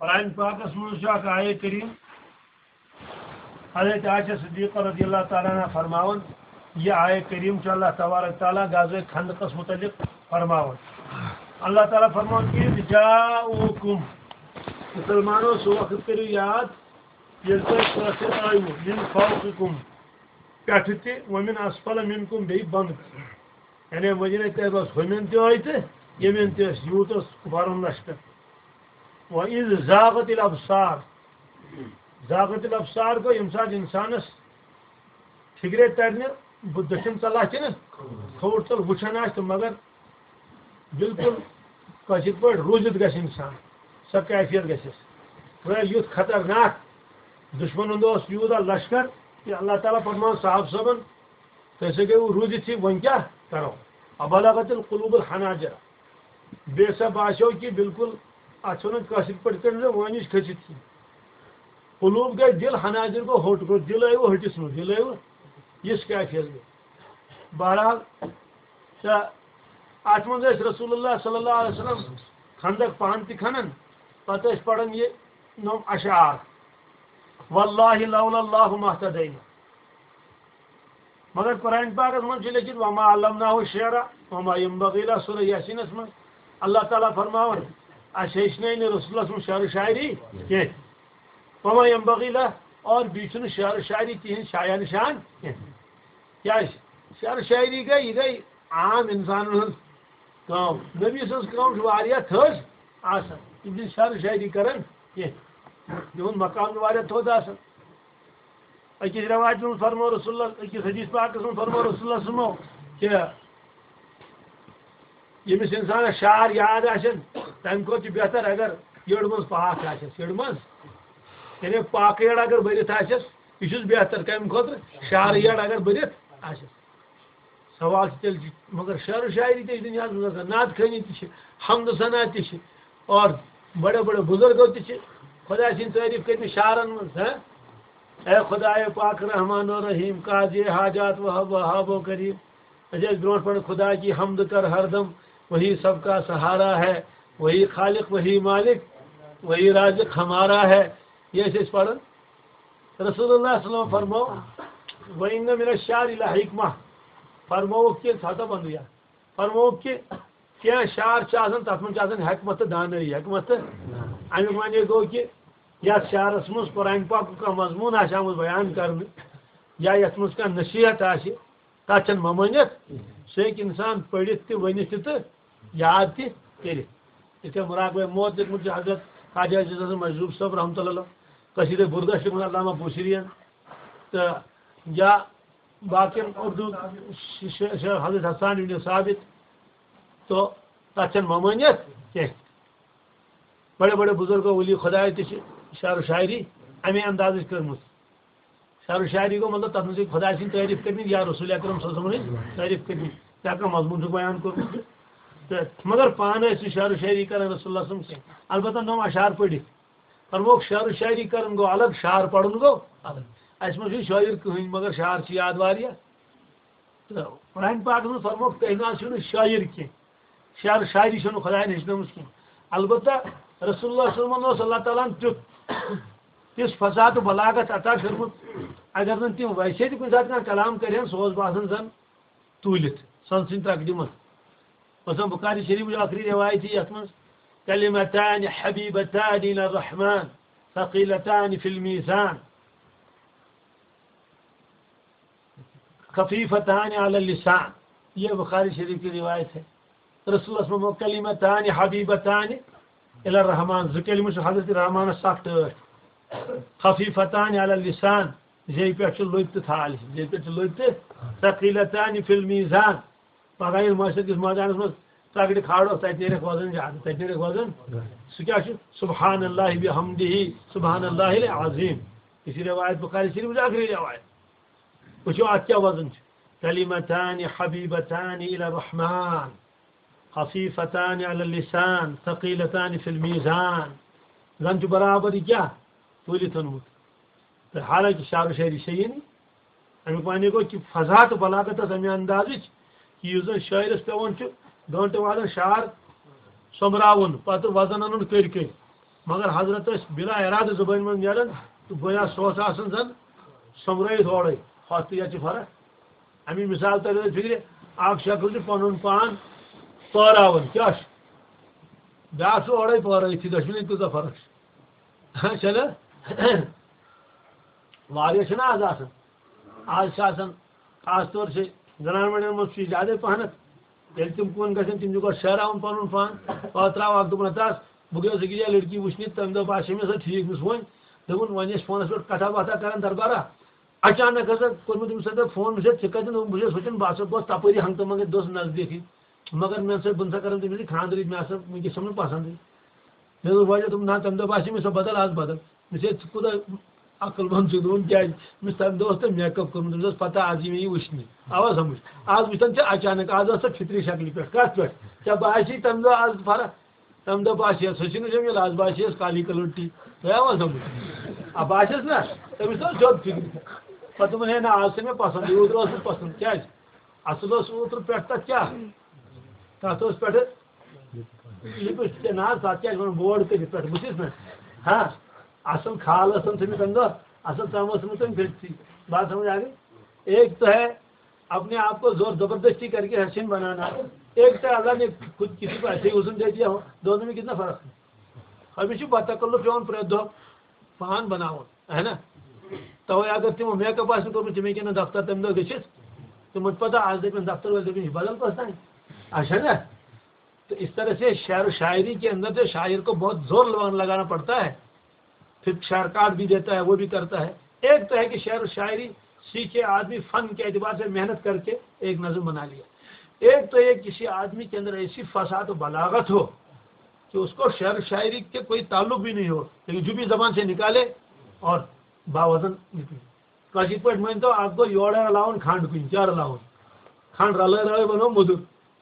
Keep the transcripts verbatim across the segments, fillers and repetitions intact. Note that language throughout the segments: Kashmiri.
قرآن پاکس منٛز چھُ اکھ آیے کریم، حضرت عائشہ صدیقہ رضی اللہ تعالیٰ عنہ فرماوان، یہِ آیے کریم چھُ اللہ تبارک تعالیٰ غزوہ خندقس متعلق فرماوان۔ اللہ تعالیٰ فرماوان، "اذ جاءوکم"، مسلمانو، سُہ وقت کٔرِو یاد، ییٚلہِ تۄہہِ کٲفِر آیوٕ، "من فوقکم"، پٮ۪ٹھٕ تہِ، "ومن اسفل منکم"، بیٚیہِ بۄنہٕ تہِ۔ یعنی مدینہ طیبس ہُمٮ۪ن تہِ ٲے تہٕ ییٚمٮ۪ن تہِ ٲسۍ، یوٗت اوس کُفارن لشکر۔ وَإِذْ زَاغَتِ الْأَبْصَارُ۔ زاغت الابصار گوٚو ییٚمہِ ساتہٕ اِنسانس فِکرے ترِ نہٕ، بہٕ دٔچھُن ژَلہٕ ہا کِنہٕ کھووُر ژَلہٕ، وٕچھان آسہِ تہٕ مگر بالکل کٲشِر پٲٹھۍ روٗزِتھ گژھِ اِنسان، سۄ کیفیت گژھٮ۪س۔ گویا یُتھ خطرناک دُشمنن اوس یوٗتاہ لشکر کہِ اللہ تعالیٰ فرماوان صاحب صٲبن، تُہۍ ہسا گٔیوٕ روٗزِتھٕے، وۄنۍ کیٛاہ کرو؟ وَبَلَغَتِ الْقُلُوبُ الْحَنَاجِرَ۔ بیٚیہِ ہسا باسیو کہِ بالکل، اتھ چھِ ونان کٲشِر پٲٹھۍ کٔرۍ زِ وٲنِج کھٔسِتھ۔ قلوٗب گٔے دِل، حناجر گوٚو ہوٚٹ، گوٚو دِل ٲیوٕ ہوٚٹِس منٛز، دِل ٲیوٕ یِژھ کیفیت گٔے۔ بہرحال، تہٕ اتھ منٛز ٲسۍ رسول اللہ صلی اللہ علیہ وسلم خندق پانہٕ تہِ کھنان، پتہٕ ٲسۍ پران یہِ نوم اشعار، "واللہ لولا اللہ ما اہتدینا"۔ مگر قرآن پاکس منٛز چھُ لیٚکھِتھ، "وما علمناہ الشعر وما ينبغي له"، سورہ یاسینس منٛز اللہ تعالیٰ فرماوان، "اسہِ ہیٚچھنٲے نہٕ رسولس منٛز شعر و شاعری کینٛہہ، وما ينبغي له، اور بیٚیہِ چھُنہٕ شعر و شاعری تِہنٛز شایان شان کینٛہہ۔" کیٛازِ؟ شعر و شاعری گٔے، یہِ گٔے عام انسانن ہٕنٛز کٲم۔ نبی سٕنٛز کٲم چھِ واریاہ تھٔز آسان، تِم چھِنہٕ شعر و شاعری کران کینٛہہ، تِہُنٛد مقام چھُ واریاہ تھوٚد آسان۔ أکِس رٮ۪وایتہِ منٛز فرموو رسول اللہ، أکِس حدیث پاکس منٛز فرموو رسول اللہ صلی اللہ علیہ وسلمو کہِ ییٚمِس اِنسانَس شعر یاد آسن، تَمہِ کھۄتہٕ چھُ بہتر اگر یٔڑ منٛز پاک آسٮ۪س، یٔڑ منٛز، یعنی پاکہٕ یٔڑ اگر بٔرِتھ آسٮ۪س، یہِ چھُس بہتر کَمہِ خٲطرٕ؟ شعرٕ یٔڑ اگر بٔرِتھ آسٮ۪س۔ سوال چھُ تیٚلہِ، مگر شعر و شاعری تہِ چھِ دُنیاہَس منٛز آسان، نعت خوٲنی تہِ چھِ، حمد و ثنا تہِ چھِ، اور بڑے بڑے بزرگو تہِ چھِ خۄداے سٕنٛدۍ تعریٖف کٔرمٕتۍ شعرن منٛز، ہہ؟ اے خدائے پاک رحمان و رحیم، قاضی حاجات وہاب، وہاب و کریم۔ أسۍ ٲسۍ برونٛٹھ پٮ۪ٹھ خدا کی حمد کر ہر دم، وہی سب کا سہارا ہے، وہی خالق، وہی مالک، وہی رازق ہمارا ہے۔ یہِ ٲسۍ أسۍ پران۔ رسول اللہ صلی اللہ علیہ وسلم فرمو، "وَإِنَّ مِنَ الشَّعْرِ لَحِكْمَةً"، فرمووُکھ کہِ، ژھا تھا بنٛدٕے اَتھ۔ فرمووُکھ کہِ کینٛہہ شعر چھِ آسان، تَتھ منٛز چھِ آسان حکمت تہٕ دانٲیی، حکمت تہٕ اَمیُک معنی گوٚو کہِ یَتھ شعرَس منٛز قرآن پاکُک کانٛہہ مضموٗن آسہِ آمُت بیان کرنہٕ، یا یَتھ منٛز کانٛہہ نصیحت آسہِ، تَتھ چھَنہٕ ممٲنِیت۔ سُہ ہیٚکہِ اِنسان پٔرِتھ تہِ، ؤنِتھ تہِ تہٕ یاد تہِ کٔرِتھ۔ یِتھ کٔنۍ مراقبہ موت لیوٚکھمُت چھُ حضرت خواجہ عزیز حسن مجذوب صٲب رحمتہ اللہ علیہ، قصیدہ بُردہ چھُ لیوٚکھمُت علامہ بوصیری یَن، تہٕ یا باقین اردو ش-، ش-، ش-، حضرت حسان ابن ثابت، تو تَتھ چھَنہٕ ممٲنِیت کینٛہہ۔ بڑے بڑے بزرگو ولی خداے تہِ چھِ شعر و شاعری اَمے اندازٕچ کٔرمٕژ۔ شعر و شاعری گوٚو مطلب تَتھ منٛز چھِ خداے سٕنٛدۍ تعریٖف کٔرمٕتۍ یا رسول اکرم صلی اللہ علیہ وسلمٕنۍ تعریٖف کٔرمٕتۍ، یا کانٛہہ مضموٗن چھُکھ بیان کوٚرمُت۔ تہٕ مگر پانہٕ ٲسۍ نہٕ شعر و شاعری کران رسول اللہ صلی اللہ علیہ وسلم کینٛہہ۔ البتہ نوم اشعار پٔرِتھ۔ فرمووُکھ شعر و شاعری کرُن گوٚو الگ، شعر پرُن گوٚو الگ۔ اَسہِ منٛز چھُنہٕ شٲعر کٕہٕنۍ، مگر شعر چھِ یاد واریاہ۔ تہٕ قرآن پاکَس منٛز فرمووُکھ، "تُہۍ نہ حظ چھِو نہٕ شٲعر کینٛہہ، شعر شاعری چھَو نہٕ خۄدایَن ہیٚچھنٲومٕژ کینٛہہ۔" البتہ رسول اللہ صلی اللہ علیہ وسلمَس اوس اللہ تعالیٰ ہَن تیُتھ، تِژھ فصاحت و بلاغت عطا کٔرمٕژ، اگر نہٕ تِم ویسے تہِ کُنہِ ساتہٕ کانٛہہ کلام کَرِہَن، سُہ اوس باسان زَن توٗلِتھ سۄنہٕ سٕنٛدِ ترٛکہٕ منٛز۔ مثلاً بُخاری شریٖفٕچ ٲخری رِوایت چھِ یَتھ منٛز، "کلمتان حبیبتان الی الرحمن، ثقیلتان فی المیزان۔" خفیفتان علی اللسان، یہ بخاری شریف کی روایت ہے۔ رسول اللہ صلی اللہ علیہ وسلم، "کلمتان حبیبتان الی الرحمن"، زٕ کلمہٕ چھِ حضرت رحمانس سخ ٹٲٹھۍ۔ "خفیفتان علی اللسان"، زیٚیہِ پٮ۪ٹھ چھِ لٔبۍ تہٕ تھالہِ، زیٚیہِ پٮ۪ٹھ چھِ لٔبۍ تہٕ، "ثقیلتان فی المیزان"، پگاہ ییٚلہِ محشر کِس مٲدانس منٛز ترٛکرِ کھالو، تتہِ نیرکھ وزن زیادٕ، تتہِ نیرکھ وزن۔ سُہ کیٛاہ چھُ؟ "سبحان اللہ بحمدہ، سبحان اللہ العظیم"۔ یہِ چھِ روایت بخاری شریفٕچ ٲخری روایت۔ وٕچھِو، اَتھ کیٛاہ وزن چھُ۔ "کلمتان حبیبتان الی الرحمن، خفیفتان علی اللسان، ثقیلتان فی المیزان۔" زن چھُ برابر یہِ کیٛاہ؟ توٗلِتھ اوٚنمُت۔ تہٕ حالانکہِ شعر و شٲعری چھےٚ یی نہٕ۔ اَمیُک معنی گوٚو کہِ فضا تہٕ بلاغت ٲس اَمہِ اندازٕچ کہِ یُس زن شٲعرس پٮ۪وان چھُ گٲنٛٹہٕ وادن شعر سوٚمبراوُن، پتہٕ وزن اَنُن کٔرۍ کٔرۍ۔ مگر حضرت ٲسۍ بلا ارادٕ زبٲنۍ منٛز نیران، تہٕ گویا سُہ اوس آسان زن سۄمبرٲیِتھ اورَے۔ ہۄتھ تہٕ یَتھ چھِ فرق۔ اَمی مثال تَرِ نہٕ فِکرِ، اکھ شخص چھُ پنُن پان پٲراوان، کیٛاہ چھُ؟ بیٛاکھ چھُ اورَے پٲرٲوِتھ، یہِ گژھِ نہٕ کۭژاہ فرق چھِ۔ چھَنہٕ؟ واریاہ چھِنہٕ آز آسان۔ آز چھِ آسان، خاص طور چھِ زنان مٔڈٮ۪ن منٛز چھُ یہِ زیادَے پَہنَتھ۔ ییٚلہِ تِم کُن گژھن، تِم چھِ گۄڈٕ شہراوان پَنُن پان، پَتہٕ ترٛاوان اَکھ دوٚپُن، "ہَتہٕ حظ، بہٕ گٔیَس أکِس جایہِ لٔڑکی وٕچھنہِ، تَمہِ دۄہ باسے مےٚ سۄ ٹھیٖک، مےٚ ووٚن، دوٚپُن، وۄنۍ ٲسۍ فونَس پٮ۪ٹھ کَتھا باتھا کَران دربارا، اچانک ہسا کوٚر مےٚ تٔمِس سۭتۍ فون، مےٚ چھا ژےٚ کَتٮ۪ن اوٚنمُت؟" بہٕ چھُس سونٛچان، بہٕ ہسا گوس تَپٲری ہنٛگتہٕ منٛگَے، دۄہَس نزدیٖکٕے۔ مگر مےٚ سۭتۍ، بہٕ نہ سا کَران تٔمِس سۭتۍ خانٛدرٕچ، مےٚ ہسا وٕنکیٚس چھَم نہٕ پَسنٛدٕے۔ مےٚ دوٚپ، وۄنۍ دوٚپُن، نہ، تَمہِ دۄہ باسے مےٚ سۄ بدل، آز بدل۔ مےٚ چھِ، ژٕ کوٗتاہ عقل منٛد چھُکھ، دوٚپُن، کیٛازِ؟ مےٚ چھُ تَمہِ دۄہ اوس تۄہہِ میک اپ کوٚرمُت، تٔمِس ٲس پَتہ آز یی مےٚ یہِ وٕچھنہِ۔ آوا سَمٕجھ؟ آز وٕچھتَن ژےٚ اچانک، آز ٲس سۄ فطری شکلہِ پٮ۪ٹھ۔ کَتھ پٮ۪ٹھ؟ ژےٚ باسی تَمہِ دۄہ آز فرق؟ تَمہِ دۄہ باسے، سۄ چھِنہٕ جمیٖل، آز باسے یَس کالی کلر ٹی۔ تۄہہِ آوا سَمٕجھ؟ آ، باسیٚس نا، تٔمِس اوس زیوٚد فِکرِ۔ پَتہٕ دوٚپُن، ہے نہ، آز چھےٚ مےٚ پَسنٛد، یہِ اوترٕ ٲس نہٕ پَسنٛد۔ کیٛازِ؟ اَصٕل اوس اوترٕ پٮ۪ٹھ تَتھ کیٛاہ؟ تَتھ اوس پٮ۪ٹھٕ لِپسٹِک، نہ حظ، تَتھ کیٛاہ چھِ وَنان، بورڈ کٔرِتھ پٮ۪ٹھٕ، بٕتھِس نا۔ ہاں، اَصٕل کھال ٲسٕم تھٲومٕژ تَمہِ دۄہ، اَصٕل ژَم ٲسٕم تٔمۍ کٔرِتھٕے۔ بات سَمٕجھ آ گٔے؟ ایک تو ہے اپنے آپ کو زور زبردستی کر کے حسین بنانا، ایک تو اللہ نے خود کسی کو ایسے ہی حسن دے دیا ہو، دونوں میں کتنا فرق ہے؟ ہمیشہ بتکلف پٮ۪وان پرٛٮ۪تھ دۄہ پان بناوُن، ہے نا؟ توے اگر تِمو میک اپ آسہِ نہٕ کوٚرمُت، تِم ہیٚکن نہٕ دفتر تَمہِ دۄہ گٔژھِتھ۔ تِمن چھِ پتہ، آز دَپن دفتر وٲلۍ، دَپن، "یہِ چھُ بدل کٲنٛسہِ تانۍ۔" اچھا نا؟ تو اس طرح سے شعر و شاعری کے اندر جو شاعر کو بہت زور لگانا، لگانا پڑتا ہے، پھر شعر کاٹ بھی دیتا ہے، وہ بھی کرتا ہے۔ ایک تو ہے کہ شعر و شاعری سیکھے آدمی، فن کے اعتبار سے محنت کر کے ایک نظم بنا لیا۔ ایک تو یہ کسی آدمی کے اندر ایسی فصاحت و بلاغت ہو کہ اس کو شعر و شاعری کے کوئی تعلق بھی نہیں ہو، لیکن جو بھی زبان سے نکالے اور باوزن نکلے۔ کٲشِر پٲٹھۍ مٲنۍ تو، اکھ گوٚو یورٕ رلاوُن کھنٛڈ کُنہِ، کیٛاہ رلاوُن؟ کھنٛڈ رلٲے رلٲے بنوو موٚدُر،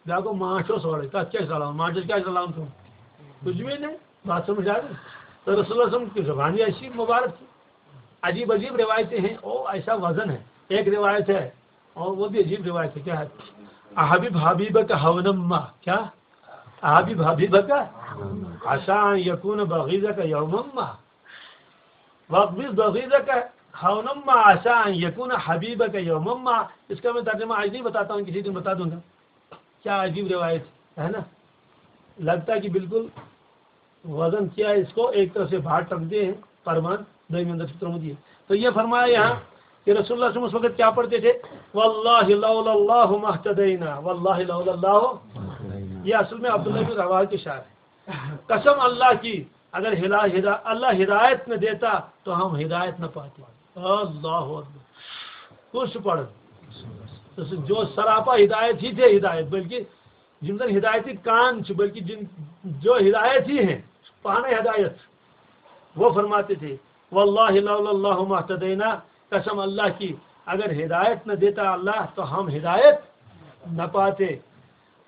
بیٛاکھ گوٚو ماچھ اوس اورَے، تَتھ کیٛاہ چھِ رلاوُن؟ ماچھَس کیٛاہ چھِ رلاوُن ژٕ؟ کچھ بھی نہیں، بات سمجھ آ گئی؟ تو رسول اللہ صلی اللہ علیہ وسلم کی زبان ہی ایسی مبارک تھی۔ عجیب عجیب روایتیں ہیں، او ایسا وزن ہے۔ ایک روایت ہے، اور وہ بھی عجیب روایت ہے، کیا ہے؟ "احبب حبیبک ہونما"، کیا؟ "احبب حبیبک عسیٰ ان یکون بغیضک یوما ما"۔ "وابغض بغیضک ہونما عسیٰ ان یکون حبیبک یوما ما"۔ اس کا میں ترجمہ آج نہیں بتاتا ہوں، کسی دن بتا دوں گا۔ کیا عجیب روایت ہے نا؟ لگتا ہے کہ بالکل وزن کیا ہے، اس کو ایک طرف سے باہر ٹک دے ہیں، فرمان دویمہِ اندر چھُ ترٛوومُت یہِ۔ تو یہ فرمایا یہاں کہ رسول اللہ صلی اللہ علیہ وسلم اس وقت کیا پڑھتے تھے؟ "واللہ لولا اللہ مہتدینا، واللہ لولا اللہ"۔ یہ اصل میں عبداللہ بن رواحہ کے شعر ہے۔ قسم اللہ کی، اگر ہدا-، ہدا-، اللہ ہدایت نہ دیتا تو ہم ہدایت نہ پاتے۔ اللہ اکبر۔ کُس چھُ پران؟ جو سراپا ہدایت ہی تھے ہدایت، بلکہ جن زن ہدایتی کان چھِ، بلکہ جن، جو ہدایت ہی ہیں، پانے ہدایت۔ وہ فرماتے تھے، "واللہ لولا اللہ مہتدینا"، قسم اللہ کی، اگر ہدایت نہ دیتا اللہ تو ہم ہدایت نہ پاتے۔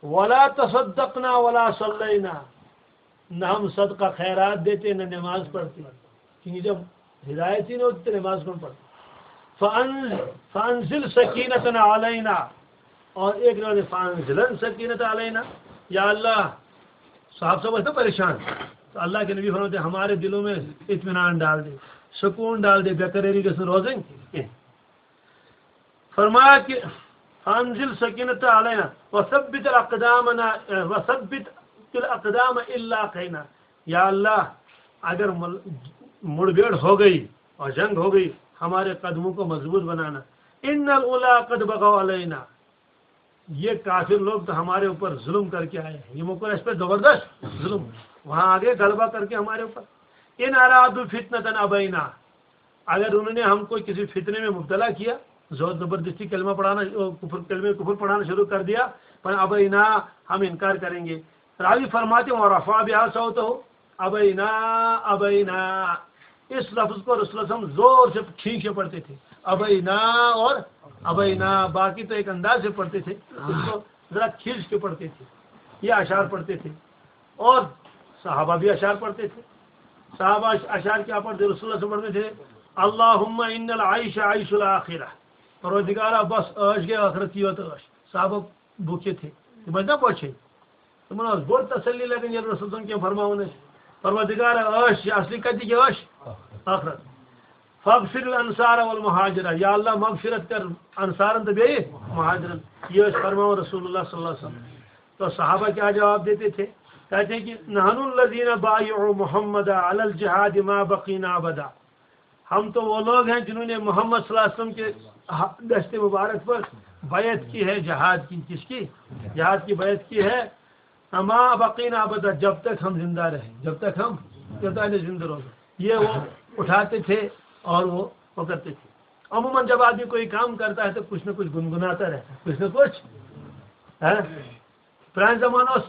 "ولا تصدقنا ولا صلینا"، نہ ہم صدقہ خیرات دیتے، نہ نماز پڑھتے، کیونکہ جب ہدایت ہی نہیں ہوتی تو نماز کون پڑھتا؟ فانزل، فانزل سکینتنا علینا، اور ایک روایت، فانزلن سکینت علینا، یا اللہ، صاحب صاحب اتنا پریشان، تو اللہ کے نبی فرماتے ہیں، ہمارے دلوں میں اطمینان ڈال دے، سکون ڈال دے، بے قراری کے ساتھ روزیں۔ فرمایا کہ فانزل سکینت علینا وثبت الاقدامنا، وثبت الاقدام الا قینا۔ یا اللہ، اگر مل-، مڑبیڑ ہو گئی اور جنگ ہو گئی، ہمارے قدموں کو مضبوط بنانا۔ ان الاولا قد بغوا علینا، یہ کافر لوگ تو ہمارے اوپر ظلم کر کے آئے ہیں، یہ مکر اس پہ زبردست ظلم، وہاں آگے غلبہ کر کے ہمارے اوپر۔ ان ارادوا فتنة ابینا، اگر انہوں نے ہم کو کسی فتنے میں مبتلا کیا، زور زبردستی کلمہ پڑھانا، کفر، کلمہ کفر پڑھانا شروع کر دیا، پر ابینا، ہم انکار کریں گے۔ راوی فرماتے ہیں، ورفع بها صوته، ابینا، ابینا۔ اس لفظ کو رسول اللہ صلی اللہ علیہ وسلم زور سے کھینچ کے پڑھتے تھے، ابینا اور ابینا، باقی تو ایک انداز سے پڑھتے تھے، اس کو ذرا کھینچ کے پڑھتے تھے، یہ اشعار پڑھتے تھے۔ اور صحابہ بھی اشعار پڑھتے تھے۔ صحابہ اش-، اشعار کیا پڑھتے؟ رسول اللہ سے پڑھتے تھے، اللہم ان العیش عیش الاخرہ، پروردگارا، بس عٲش گٔے ٲخرت کی یوت عٲش۔ صحابہ بوٗکھِتھ تھے، تِم ٲسۍ نا بۄچھے۔ تِمن ٲس بٔڑ تسلی لگان، ییٚلہِ رسول صلی اللہ علیہ وسلم کینٛہہ فرماوان ٲسۍ۔ پروردگار عٲش، یہِ اصلی کتہِ یہِ عٲش؟ ٲخرت۔ فاغفر الانصار والمہاجرہ، یا اللہ مغفرت کر انصارن تہٕ بیٚیہِ مہاجرن۔ یہِ ٲسۍ فرماوان رسول اللہ صلی اللہ علیہ وسلم۔ تو صحابہ کیا جواب دیتے تھے؟ کہتے ہیں کہ نحن الذین بایعوا محمد علی الجہاد ما بقینا ابدا۔ ہم تو وہ لوگ ہیں جنہوں نے محمد صلی اللہ علیہ وسلم کے دست مبارک پر بیعت کی ہے جہاد کی۔ کس کی؟ جہاد کی بیعت کی ہے۔ ما بقینا ابدا، جب تک ہم زندہ رہیں، جب تک ہم، جب تک ہم زندہ رہو۔ یہ وہ اٹھاتے تھے اور وہ، وہ کرتے تھے۔ عموماً جب آدمی کوئی کام کرتا ہے تو کچھ نہ کچھ گنگناتا رہتا ہے، کچھ نہ کچھ، ہے۔ پرانہِ زمانہٕ اوس،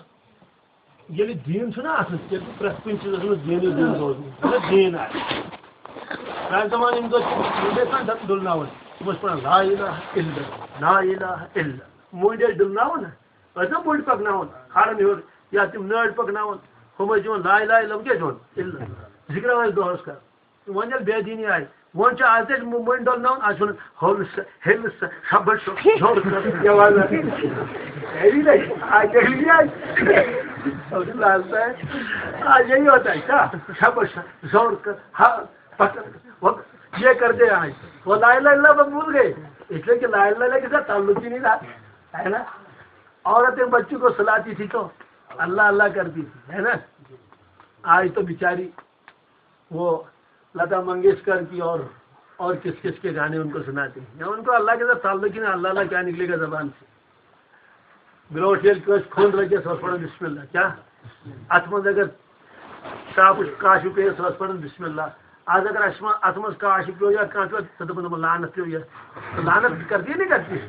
ییٚلہِ دیٖن چھُنہ آسان، تیٚلہِ چھُ پرٛٮ۪تھ کُنہِ چیٖزَس منٛز دیٖنٕے دیٖن روزان، مطلب دیٖن آسہِ۔ پرٛانہِ زمانہٕ یِم دۄہ چھِ، یِم ٲسۍ آسان ڈُلناوان، تِم ٲسۍ پَران لا الہ الا اللہ، لا الہ الا اللہ۔ مٔنٛڈۍ ٲسۍ ڈُلناوان نہ، ٲسۍ نہ مٔنٛڈۍ پَکناوان کھارَن ہیوٚر، یا تِم نٲرۍ پَکناوان، ہُم ٲسۍ دِوان لا الہ الا اللہ، کیٛاہ چھِ وَنان؟ الا اللہ۔ ذِکرا ٲسۍ دۄہَس کَران۔ وۄنۍ ییٚلہِ بے دیٖنی آیہِ، وۄنۍ چھُ آز تہِ مٔنٛڈۍ ڈَلناوُن، آز چھُ وَنان، ہول سا، ہیٚلہِ سا، شَبَس سا، زور کر، یہِ وَنان۔ یہِ نَے، آز ییٚلہِ یہِ آیہِ، آز ییٚلہِ یوت آیہِ، کیٛاہ؟ شَبَس سا، زور کر، ہا، پَکھ، وۄنۍ یہِ کر دے آز۔ وہ لا الہ الا اللہ بس بھول گئے، اس لیے کہ لا الہ الا اللہ کے ساتھ تعلق ہی نہیں رہا، ہے نا؟ عورتیں بچوں کو سلاتی تھی تو اللہ اللہ کرتی تھی، ہے نا؟ آج تو بیچاری وہ لتا منگیشکر کی اور، اور کس کس کے گانے ان کو سناتے ہیں۔ یا ان کو اللہ کے ساتھ تعلق ہی نہیں، اللہ اللہ کیا نکلے گا زبان سے؟ برونٛٹھ ییٚلہِ کٲنٛسہِ کھوٚن لگہِ، سُہ اوس پران بسم اللہ۔ کیا؟ اتھ منٛز اگر صاف کاشُک پیٚیہِ، سُہ اوس پران بسم اللہ۔ آز اگر اسہِ منٛز، اتھ منٛز کاشُک پیوٚو یا کانٛہہ پیوٚو، سُہ دپان، دپان، لعنت پیوٚو یا، لعنت کرتی ہے، نہیں کرتی ہے؟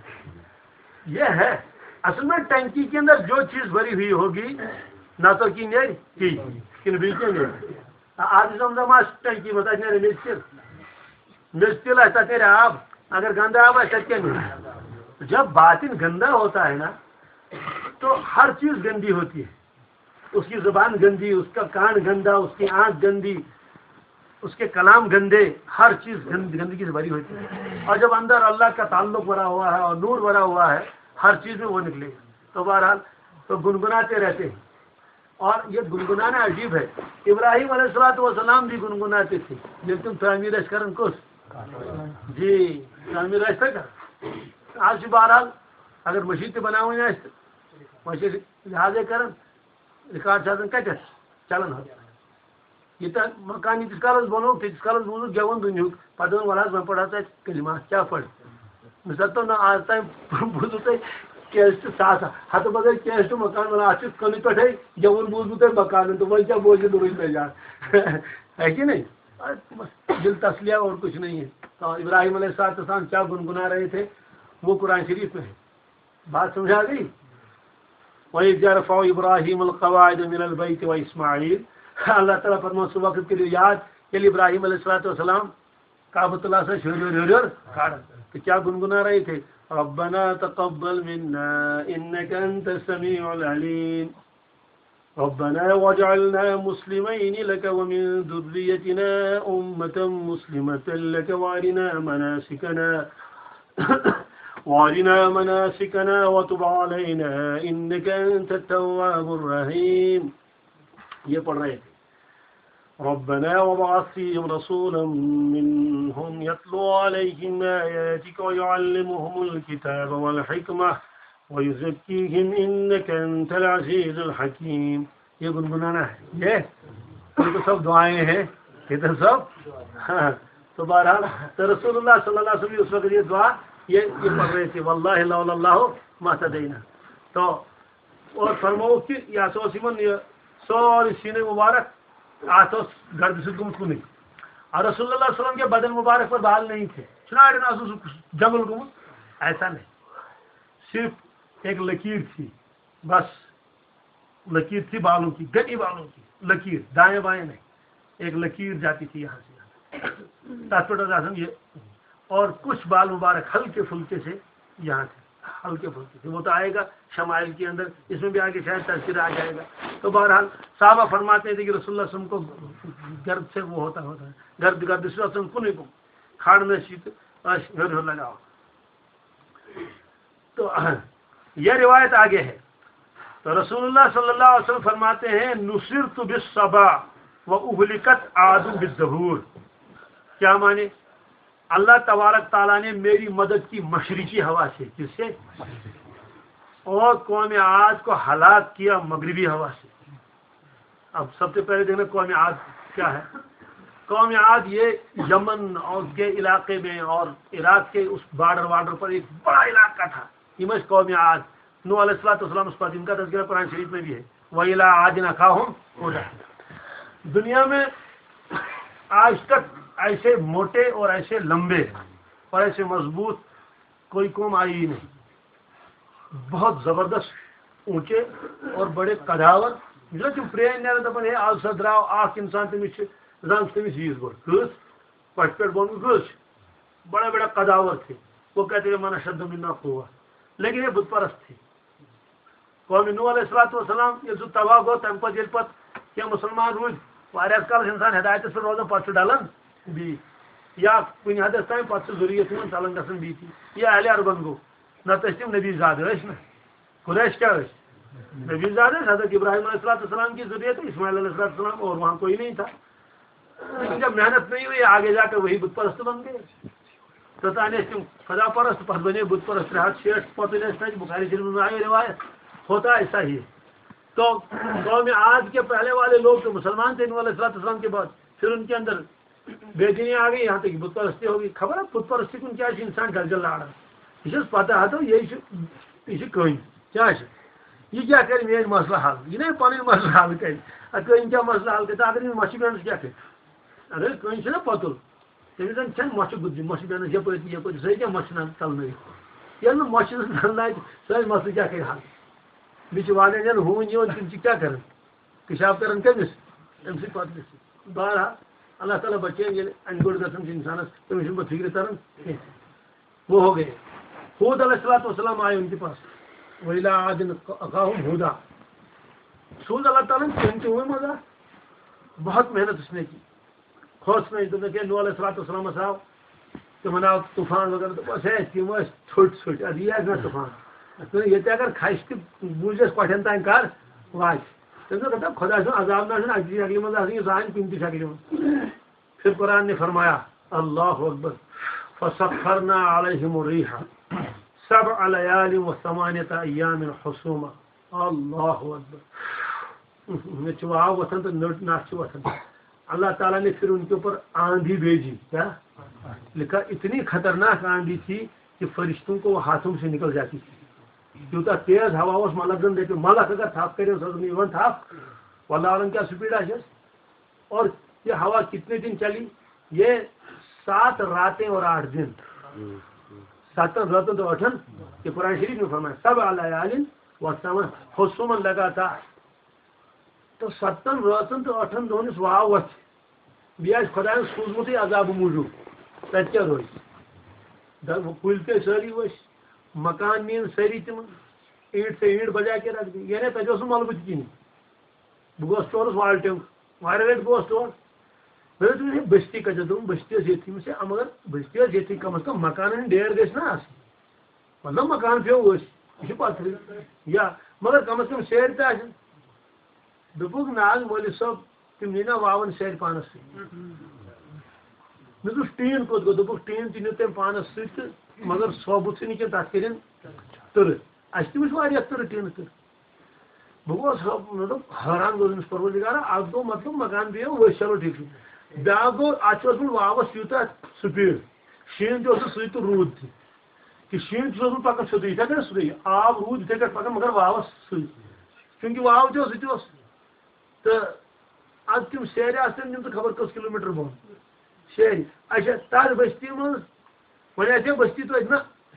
یہ ہے۔ اصل میں ٹنکی کے اندر جو چیز بھری ہوئی ہوگی، نہ تو کی نیرِ تی، کِنہٕ بیٚیہِ کینٛہہ نیرِ؟ آب زمزم آسہِ ٹنکی منٛز، تتہِ نیرِ میٚژِ تِل۔ میٚژِ تِل آسہِ، تتہِ نیرِ آب۔ اگر گندا آب آسہِ، تتہِ کیٛاہ نیرِ؟ جب باطن گندا ہوتا ہے نا، تو ہر چیز گندی ہوتی ہے۔ اس کی زبان گندی، اس کا کان گندا، اس کی آنکھ گندی، اس کے کلام گندے، ہر چیز گند-، گندگی سے بھری ہوتی ہے۔ اور جب اندر اللہ کا تعلق بھرا ہوا ہے اور نور بھرا ہوا ہے، ہر چیز میں وہ نکلے گا۔ تو بہرحال، تو گنگناتے رہتے ہیں۔ اور یہ گنگنانا عجیب ہے۔ ابراہیم علیہ الصلوۃ والسلام بھی گنگناتے تھے۔ لیکن تعمیر اَسہِ کران کُس؟ جی، تعمیر اَسہِ تھا کران۔ آج بہرحال، اگر مسجد تہِ بناوٕنۍ آسہِ تہٕ وۄنۍ چھِ لحاظے کران، ریکارڈ چھِ آسان کَتٮ۪تھ؟ چلان حظ۔ ییٖتیٛاہ مکان ییٖتِس کالس بنووُکھ، تیٖتِس کالس بوٗزُکھ گٮ۪وُن دُنیہُک۔ پتہٕ دوٚپُن، "وَلہٕ حظ، وۄنۍ پَرٕ حظ اَتہِ کلمہ، کیٛاہ پَرٕ؟" مےٚ دوٚپ، "نہ، آز تام بوٗزوٕ تۄہہِ کیسٹ ساس ہَتہٕ بغٲر کیسٹ مکان وَنان، اَتھ چھُ کٕنہٕ پٮ۪ٹھَے گٮ۪وُن بوٗزمُت تۄہہِ مکانَن، تہٕ وۄنۍ کیٛاہ بوزِ نوٗرٕے نجار؟" ہے کہ نہیں؟ بس دل تسلیہ اور کچھ نہیں ہے۔ تو ابراہیم علیہ السلام کیا گنگنا رہے تھے، وہ قرآن شریف میں ہے۔ بات سمجھ آ گئی؟ وَإِذْ يَرْفَعُ إِبْرَاهِيمُ الْقَوَاعِدَ مِنَ الْبَيْتِ وَإِسْمَاعِيلُ۔ اللہ تعالیٰ فرماوان، سُہ وقت کٔرِو یاد، ییٚلہِ ابراہیم علیہ الصلوۃ والسلام کعبۃ اللہ سۭتۍ ہیوٚر ہیوٚر ہیوٚر ہیوٚر کھاران۔ تہٕ کیٛاہ گُنگُنا رہے تھے؟ رَبَّنَا تَقَبَّلْ مِنَّا إِنَّكَ أَنْتَ السَّمِيعُ الْعَلِيمُ۔ رَبَّنَا وَاجْعَلْنَا مُسْلِمَيْنِ لَكَ وَمِنْ ذُرِّيَّتِنَا أُمَّةً مُسْلِمَةً لَكَ وَأَرِنَا مَنَاسِكَنَا وَأَرِنَا مَنَاسِكَنَا وَتُبْ عَلَيْنَا إِنَّكَ أَنْتَ التَّوَّابُ الرَّحِيمُ۔ یہ پڑھ رہے تھے۔ رَبَّنَا وَابْعَثْ فِيهِمْ رَسُولًا مِنْهُمْ يَتْلُو عَلَيْهِمْ آيَاتِكَ وَيُعَلِّمُهُمُ الْكِتَابَ وَالْحِكْمَةَ وَيُزَكِّيهِمْ إِنَّكَ أَنْتَ الْعَزِيزُ الْحَكِيمُ۔ یہ گنگنانا ہے، یہ یہ تو سب دعائیں ہیں، یہ تو سب، ہاں۔ تو بہرحال، تو رسول اللہ صلی اللہ علیہ وسلم اس وقت یہ دعا، یہ، یہ پڑھ رہے تھے، "واللہ لولا اللہ ما اهتدینا۔" تو اور فرماؤ کہ یہ ہسا اوس یِمن یہ سورُے سیٖنٕے مُبارک، اتھ اوس گردِ سۭتۍ گوٚمُت کُنُے۔ اور رسول اللہ صلی اللہ علیہ وسلم کے بدن مبارک پر بال نہیں تھے۔ چھُنہ اڑٮ۪ن آسان سُہ جنگل گوٚمُت؟ ایسا نہیں۔ صرف ایک لکیر تھی، بس۔ لکیر تھی بالوں کی، گنی بالوں کی لکیر، دائیں بائیں نہیں، ایک لکیر جاتی تھی یہاں سے یہاں تک۔ تتھ پہ آسان یہ، اور کچھ بال مبارک ہلکے پھلکے سے یہاں تھے، ہلکے پھلکے تھے۔ وہ تو آئے گا شمائل کے اندر، اس میں بھی آگے شاید تذکرہ آ جائے گا۔ تو بہرحال، صحابہ فرماتے تھے کہ رسول اللہ صلی اللہ علیہ وسلم کو گرد سے وہ ہوتا، ہوتا ہے، گرد، گرد سے اصلاً کن کو کھاڑ میں شیت، ہر، ہر لگاؤ۔ تو یہ روایت آگے ہے۔ تو رسول اللہ صلی اللہ علیہ وسلم فرماتے ہیں، "نصرت بالصبا"، وَأُهْلِكَتْ عَادٌ بِالدَّبُورِ۔ کیا معنی؟ اللہ تبارک تعالیٰ نے میری مدد کی مشرقی ہوا سے، کس سے؟ اور قوم عاد کو ہلاک کیا مغربی ہوا سے۔ اب سب سے پہلے دیکھنا قوم عاد کیا ہے۔ قوم عاد یہ یمن اور کے علاقے میں اور عراق کے اس بارڈر وارڈر پر ایک بڑا علاقہ تھا، یہ میں قوم عاد۔ نوح علیہ الصلوۃ والسلام اس پر، ان کا تذکرہ قرآن شریف میں بھی ہے، وَإِلَىٰ عَادٍ أَخَاهُمْ هُودًا۔ دنیا میں آج تک ایسے موٹے اور ایسے لمبے اور ایسے مضبوط کوئی قوم آئی ہی نہیں۔ بہت زبردست، اونچے اور بڑے قداور۔ یُس تِم پرٛٲنۍ نیران دَپان، ہے، آز سا درٛاو اَکھ اِنسان، تٔمِس چھِ زنٛگ تٔمِس ییٖژ بٔڑ۔ کۭژ؟ پَٹھٕ پٮ۪ٹھ بۄن کۭژ چھِ؟ بڑے بڑے قداور تھے۔ وہ کہتے ہیں، من اشد منا قوة۔ لیکن یہ بت پرست تھے۔ قوم نوح علیہ الصلوۃ والسلام ییٚلہِ سُہ تباہ گوٚو، تَمہِ پَتہٕ ییٚلہِ پَتہٕ کینٛہہ مُسلمان روٗدۍ، واریاہَس کالَس اِنسان ہدایتَس پٮ۪ٹھ روزان، پَتہٕ چھُ ڈَلان بیٚیہِ۔ یا کُنہِ حدَس تام پَتہٕ چھُ ذُریت یِمَن ژَلان گژھان بیٚیہِ تہِ۔ یا اہلِ عربَن گوٚو، نَتہٕ ٲسۍ تِم نبی زادٕ، ٲسۍ نہ؟ قریش کیا ٲسۍ؟ نبی زادٕ ٲسۍ، حضرت ابراہیم علیہ الصلوۃ والسلام کی ذُریت، اسماعیل علیہ الصلوۃ والسلام، اور وہاں کوئی نہیں تھا۔ لیکن جب محنت نہیں ہوئی، آگے جا کر وہی بت پرست بن گئے۔ توٚتام ٲسۍ تِم خدا پرست، پتہٕ بنے بت پرست۔ ترٛےٚ ہتھ شیٹھ پتہٕ ٲسۍ تَتہِ، بخاری شریف منٛز آیہِ روایت، ہوتا ایسا ہی۔ تو قوم عاد کے پہلے والے لوگ تو مسلمان تھے نوح علیہ الصلوۃ والسلام کے بعد، پھر ان کے اندر بے دینی آ گئی، یہاں تک کہ بت پرستی ہو گئی۔ خبر ہے بت پرستی کُن کیٛاہ چھِ اِنسان گرِ گرِ لاران؟ یہِ چھُس پتہ ہتو، یہِ چھُ، یہِ چھُ کٔنۍ۔ کیٛاہ چھِ؟ یہِ کیٛاہ کرِ میٲنۍ مسلہٕ حل؟ یہِ نَے پنٕنۍ مسلہٕ حل کرِ۔ اَدٕ کٔنۍ کیٛاہ مسلہٕ حل کرِ؟ تہٕ اگر أمِس مَچھِ بیٚہنَس کیٛاہ کرِ؟ اگر کٔنۍ چھِنہ پۄتُل، تٔمِس زَن چھَنہٕ مَچھِ گُتجہِ، مَچھِ بیٚہنَس یَپٲرۍ تہٕ یَپٲرۍ، سۄے کیٛاہ مَچھِ نہ ژَلنٲوِتھ؟ ییٚلہِ نہٕ مَچھِ زَن ژَلنایہِ، سۄے مسلہٕ کیٛاہ کَرِ حل؟ بیٚیہِ چھِ واریاہَن جایَن ہوٗنۍ یِوان، تِم چھِ کیٛاہ کَران؟ پِشاب کَران کٔمِس؟ أمۍ سٕے پَتہٕ گژھِ۔ بہرحال، اللہ تعالیٰ بَچٲیِن، ییٚلہِ اَنہِ گوٚٹ گژھان چھِ اِنسانَس، تٔمِس چھُنہٕ پَتہٕ فِکرِ تَران کینٛہہ۔ وہ ہو گئے۔ ہود علیہ الصلوۃ والسلام آئے ان کے پاس۔ وَإِلَىٰ عَادٍ أَخَاهُمْ هُودًا۔ سوز اللہ تعالیٰ ہن تِہُنٛد تہِ وۄنۍ مزہ۔ بہت محنت اس نے کی۔ کھوژ نہٕ، دوٚپنَکھ، ہے، نوح علیہ الصلوۃ والسلامَس آو، تِمَن آو طوفان وغیرہ، دوٚپُس، ہے، تِم ٲسۍ ژھوٚٹۍ ژھوٚٹۍ، اَدٕ یی آسہِ نہ طوفان۔ تہٕ ییٚتہِ اگر کھسہِ تہِ، بوٗزٮ۪س کۄٹھٮ۪ن تام کر واتہِ۔ تٔمۍ دوٚپ، دَپان، خۄداے سُنٛد عذاب نہ آسہِ نہٕ اَکہِ شکلہِ منٛز آسان، یہِ چھُ آسان کُنہِ تہِ شکلہِ منٛز۔ پھر قرآن نے فرمایا، اللہ اکبر، فسخرنا علیہم الریح سبع لیال و ثمانیۃ ایام حسوما۔ اللہ اکبر۔ مےٚ چھِ واو وۄتھان تہٕ نٔٹ نَس چھِ وۄتھان۔ اللہ تعالیٰ نے پھر ان کے اوپر آندھی بھیجی۔ کیا؟ لکھا، اتنی خطرناک آندھی تھی کہ فرشتوں کو وہ ہاتھوں سے نکل جاتی تھی۔ یوٗتاہ تیز ہوا اوس، ملک زن دپہِ، ملک اگر تھپھ کرِ، سۄ ٲس نہٕ یِوان تھپھ۔ واللہ عالم کیٛاہ سپیڈ آسٮ۪س۔ اور یہ ہوا کتنے دن چلی؟ یہ سات راتیں اور آٹھ دن۔ ستن راتن تو ٲٹھن، یہ قرآن شریف میں فرمایا، سبع لیال و ثمان، حسومن لگاتار۔ تو ستن راتن تو ٲٹھن دۄہن یُس واو وۄتھِ، بیٚیہِ آسہِ خۄدایَن سوٗزمُتٕے عذابہٕ موٗجوٗب، تَتہِ کیٛاہ روزِ؟ دَ-، کُلۍ پیٚیہِ سٲری ؤسۍ، مکان نِیَن سٲری تِمَن، اینٹ سے اینٹ بجا کے رکھ دی، یعنی تَتہِ اوس نہٕ مَلبہٕ تہِ کِہیٖنۍ۔ بہٕ گوس تورُس والٹیُک، واریاہ لَٹہِ گوس تور۔ مےٚ دوٚپ تٔمِس، ہے، بستی کَتہِ چھِ؟ دوٚپُن، بستی ٲس ییٚتھی۔ مےٚ ووٚنُس، ہے، اَما اگر بستی ٲس ییٚتھی، کَم از کَم مکانَن ہُنٛد ڈیر گژھِ نہ آسٕنۍ۔ مطلب، مکان پیوٚو ؤسۍ، یہِ چھِ پَتہٕ یا، مگر کَم از کَم سیرِ تہِ آسن۔ دوٚپُکھ، نہ حظ، مولوی صٲب، تِم نی نہ واوَن سیرِ پانَس سۭتۍ۔ مےٚ دوٚپُس، ٹیٖن کوٚت گوٚو؟ دوٚپُکھ، ٹیٖن تہِ نیوٗ تٔمۍ پانَس سۭتۍ تہٕ مگر ثوبوٗتھٕے نہٕ کینٛہہ، تَتھ کٔرِن تٕرٕ۔ اَسہِ تہِ وٕچھ واریاہ تٕرٕ، ٹیٖنہٕ تٕرٕ۔ بہٕ گوس حٲ-، مطلب، حٲران گوس أمِس پروردگارا، اَتھ گوٚو مطلب مکان پیٚیو ؤسۍ، چلو ٹھیٖک چھُ۔ بیٛاکھ گوٚو، اَتھ چھُ اوسمُت واوَس یوٗتاہ سپیٖڈ، شیٖن تہِ اوس نہٕ سُے تہٕ روٗد تہِ۔ کہِ شیٖن تہِ اوس نہٕ پَکان سیوٚدُے، یِتھَے کٔنۍ سیوٚدُے۔ آب روٗد یِتھَے کٔنۍ پَکان، مگر واوَس سۭتۍ۔ چوٗنٛکہِ واو تہِ اوس، سُہ تہِ اوس۔ تہٕ اَدٕ تِم سیرِ آسہٕ تِم، تِم تہٕ خبر کٔژ کِلوٗ میٖٹر بۄن۔ سیرِ۔ اچھا، تَتھ بٔستی منٛز، وۄنۍ آسہِ ہا بٔستی توتہِ نہ،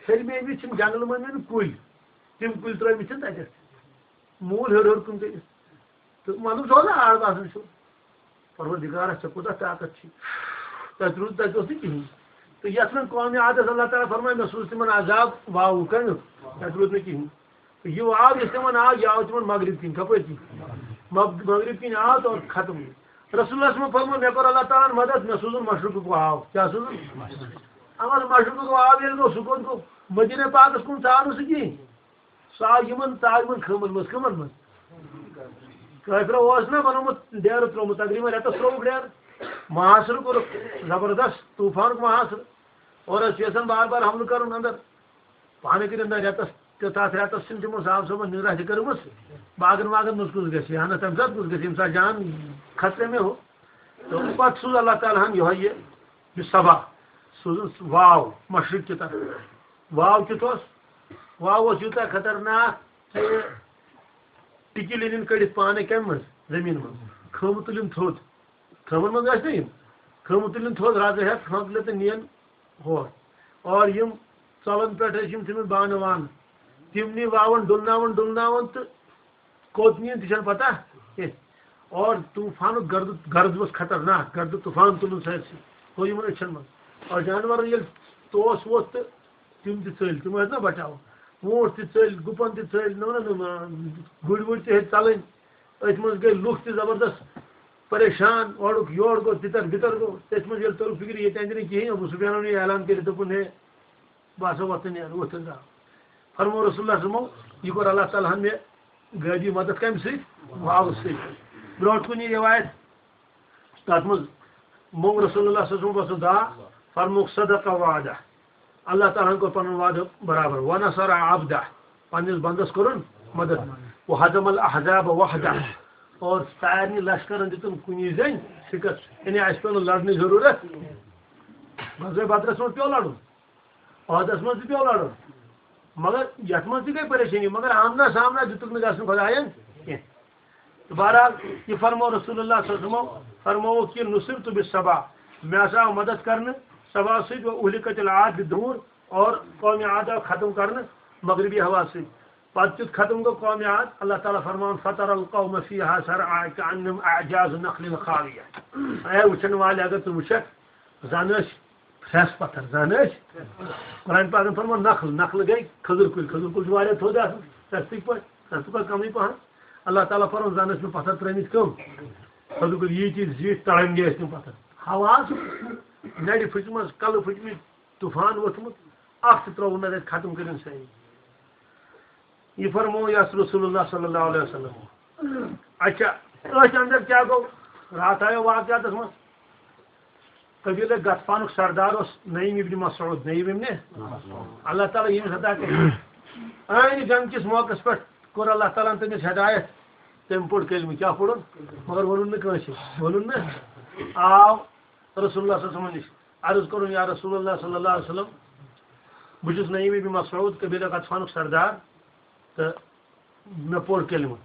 ہیٚرمہِ أمِس چھِنہٕ جنٛگلہٕ منٛز نہٕ کُلۍ، تِم کُلۍ ترٛٲومٕتۍ چھِنہٕ تَتٮ۪تھ۔ موٗل ہیوٚر ہیوٚر کُن کٔرِتھ۔ تہٕ مطلب، سُہ اوس نہٕ آڑ باسان چھُ۔ پروردگارا، ژےٚ کوٗتاہ طاقت چھُے۔ تَتہِ روٗد، تَتہِ اوس نہٕ کِہیٖنۍ۔ تہٕ یَتھ منٛز قومِ عادَس اللہ تعالیٰ فرمایہِ، مےٚ سوٗز تِمَن عذاب واوُک، کَمیُک؟ تَتہِ روٗد نہٕ کِہیٖنۍ۔ تہٕ یہِ واو یُس تِمَن آو، یہِ آو تِمَن مغرب کِنۍ۔ کَپٲرۍ کِنۍ؟ مغ-، مغرب کِنۍ آو تہٕ اور ختم۔ رسول اللہ صلی اللہ علیہ وسلم فرموو، مےٚ کوٚر اللہ تعالیٰ ہَن مدد، مےٚ سوٗزُن مشرقُک واو۔ کیٛاہ سوٗزُن؟ اَمَن مشرقُک واو ییٚلہِ گوٚو، سُہ کوٚت گوٚو؟ مدینہ پاکَس کُن ژاو نہٕ سُہ کِہیٖنۍ۔ سُہ آو یِمن، ژاو یِمن خٲمن منٛز۔ کٕمن منٛز؟ کٲفرو اوس نہ بنومُت ڈیرٕ ترٛوومُت، تقریباً رٮ۪تس ترٛووُکھ ڈیرٕ، محاصرٕ کوٚرُکھ زبردست، طوفانُک محاصرٕ، اور ٲسۍ یژھان بار بار حملہٕ کرُن اندر۔ پانہٕ کٔرِتھ نہ رٮ۪تس تہٕ تتھ رٮ۪تس چھِنہٕ تِمو صاحب صٲبن نِرا تہِ کٔرمٕژ۔ باغن واغن منٛز کُس گژھِ ہا نہ، تمہِ ساتہٕ کُس گژھِ، ییٚمہِ ساتہٕ جان خطرے میں ہو۔ تہٕ پتہٕ سوٗز اللہ تعالیٰ ہن یِہوٚے یہِ، یہِ صبا، سوٗزُن واو مشرق کہِ طرفہٕ۔ واو کیُتھ اوس؟ واو اوس یوٗتاہ خطرناک کہِ ٹِکِلۍ أنِن کٔڑِتھ پانے کمہِ منٛز؟ زٔمیٖن منٛز۔ خٲمہٕ تُلِن تھوٚد۔ خٲمن منٛز ٲسۍ نہ یِم۔ خٲمہٕ تُلِن تھوٚد، رز ہٮ۪تھ خٲمہٕ تُلِتھ تہٕ نِین ہور۔ اور یِم ژۄلن پٮ۪ٹھ ٲسۍ یِم تِمن بانہٕ وانہٕ۔ تِم نی واوان، ڈُلناوان، ڈُلناوان تہٕ کوٚت نِین تہِ چھَنہٕ پتہ کینٛہہ۔ اور طوفانُک گردٕ، گرد اوس خطرناک، گردٕ طوفان تُلُن سٲرسٕے۔ گوٚو یِمن أچھن منٛز۔ اور جانورن ییٚلہِ توس ووت تہٕ تِم تہِ ژٔلۍ، تِم ٲسۍ نہ بچاوان۔ ووٗنٛٹھ تہِ ژٔلۍ، گُپن تہِ ژٔلۍ، نہ، نہ، نہ، گُرۍ وُرۍ تہِ ہیٚتۍ ژلٕنۍ۔ أتھۍ منٛز گٔے لُکھ تہِ زبردست پریشان، اورُک یورٕ گوٚو، تِتر بِتر گوٚو۔ تٔتھۍ منٛز ییٚلہِ توٚر فِکرِ، ییٚتہِ اندِ نہٕ کِہیٖنۍ، ابو سفیانن یہِ اعلان کٔرِتھ دوٚپُن، ہے، بہٕ ہسا وۄتھٕ نیرٕ، وۄتھٕ درٛاو۔ فرموو رسول اللہ صلی اللہ علیہ وسلمو، یہِ کوٚر اللہ تعالیٰ ہن مےٚ غٲبی مدد کمہِ سۭتۍ؟ واوٕ سۭتۍ۔ برونٛٹھ کُن یہِ روایت، تتھ منٛز موٚنگ رسول اللہ صلی اللہ علیہ وسلم پتہٕ دعا، فرمووُکھ، صدق وعدہ، اللہ تعالیٰ ہن کوٚر پنُن وعدٕ برابر، ونصر عبدہ، پننِس بندس کوٚرُن مدد، وہزم الاحزاب وحدہ، اور سارنٕے لشکرن دیُتُن کُنی زٔنۍ شکست، یعنی اسہِ پیوٚو نہٕ لڑنٕچ ضروٗرت۔ غزوہ بدرس منٛز پیوٚو لڑُن، عہدس منٛز تہِ پیوٚو لڑُن، مگر یتھ منٛز تہِ گٔے پریشٲنی، مگر آمنا سامنا دیُتُکھ نہٕ گژھُن خۄداین کینٛہہ۔ تہٕ بہرحال، یہِ فرموو رسول اللہ صلی اللہ علیہ وسلمو، فرمووُکھ کہِ نصرت بالصبا، مےٚ ہسا آو مدد کرنہٕ صبا سۭتۍ، و اہلکت العاد بدور، اور قوم عاد آو ختم کرنہٕ مغربی ہوا سۭتۍ۔ پتہٕ کیُتھ ختم گوٚو قوم عاد؟ اللہ تعالیٰ فرماوان، فتر القوم فیہا صرعا کأنہم اعجاز نخل خاویہ۔ اے وٕچھن والے، اگر ژٕ وٕچھکھ، زن ٲسۍ پھرٛس پتھر، زن ٲسۍ۔ قرآن پاکن فرموو نخل، نخل گٔے کھٔزٕر کُلۍ، کھٔزٕر کُلۍ چھِ واریاہ تھوٚد آسان، سستٕکۍ پٲٹھۍ، سستہٕ پٲٹھۍ کمٕے پہن۔ اللہ تعالیٰ فرموو زن ٲسۍ مےٚ پتھر ترٲمٕتۍ کم؟ کھٔزٕر کُلۍ ییٖتۍ زیٖٹھۍ تڑنگے ٲسۍ تِم پتھر۔ ہوا آسُن، نرِ پھٕچمژ، کلہٕ پھٕٹمٕتۍ، طوفان ووٚتھمُت، اکھ تہِ ترٛووُن نہٕ تتہِ، ختم کٔرِن سٲری۔ یہِ فرموو یس رسول اللہ صلی اللہ علیہ وسلم۔ اچھا، أتھۍ اندر کیٛاہ گوٚو؟ راتھ آیو واقعاتس منٛز۔ قبیلہ غطفانُک سردار اوس نعیم ابن مسعود، نعیم ابن۔ اللہ تعالیٰ ییٚمِس عطا کٔرِتھ۔ عٲنہِ جنگ کِس موقعس پٮ۪ٹھ کوٚر اللہ تعالیٰ ہن تٔمِس ہدایت۔ تٔمۍ پوٚر کلمہٕ، کیٛاہ پوٚرُن؟ مگر ووٚنُن نہٕ کٲنٛسہِ، ووٚنُن نہٕ۔ آو رسول اللہ صلی اللہ علیہ وسلم نِش۔ عرض کوٚرُن، یا رسول اللہ صلی اللہ علیہ وسلم، بہٕ چھُس نعیم ابن مسعود، قبیلہ غطفانُک سردار، تہٕ مےٚ پوٚر کلمہٕ،